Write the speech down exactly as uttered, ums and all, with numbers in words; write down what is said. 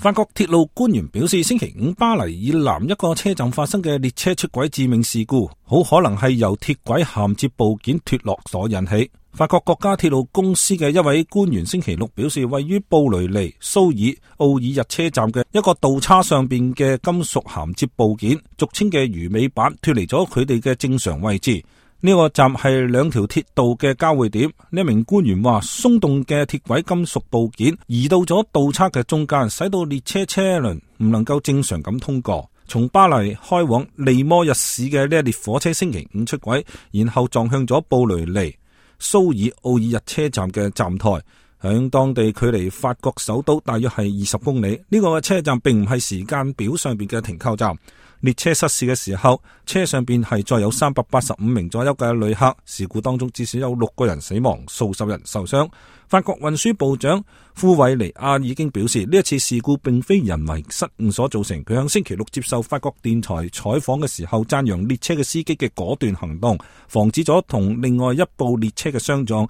法國鐵路官員表示，星期五巴黎以南一個車站發生嘅列車出軌致命事故，好可能係由鐵軌銜接部件脫落所引起。法國國家鐵路公司嘅一位官員星期六表示，位於布雷尼蘇爾奧爾日車站嘅一個道叉上邊嘅金屬銜接部件，俗稱嘅魚尾板脫離咗佢哋嘅正常位置。呢個站係兩條鐵道嘅交匯點。呢一名官員話，鬆動嘅鐵軌金屬部件移到咗道叉嘅中間，使到列車車輪唔能夠正常咁通過。從巴黎開往利摩日市嘅呢一列火車星期五出軌，然後撞向咗布雷尼蘇爾奧爾日車站嘅站台，響當地距離法國首都大約係二十公里。呢個車站並唔係時間表上邊嘅停靠站。列車失事嘅時候，車上邊係載有三百八十五名左右嘅旅客。事故當中至少有六個人死亡，數十人受傷。法國運輸部長庫維尼亞已經表示，呢一次事故並非人為失誤所造成。佢響星期六接受法國電台採訪嘅時候，讚揚列車嘅司機嘅果斷行動，防止咗同另外一部列車嘅相撞，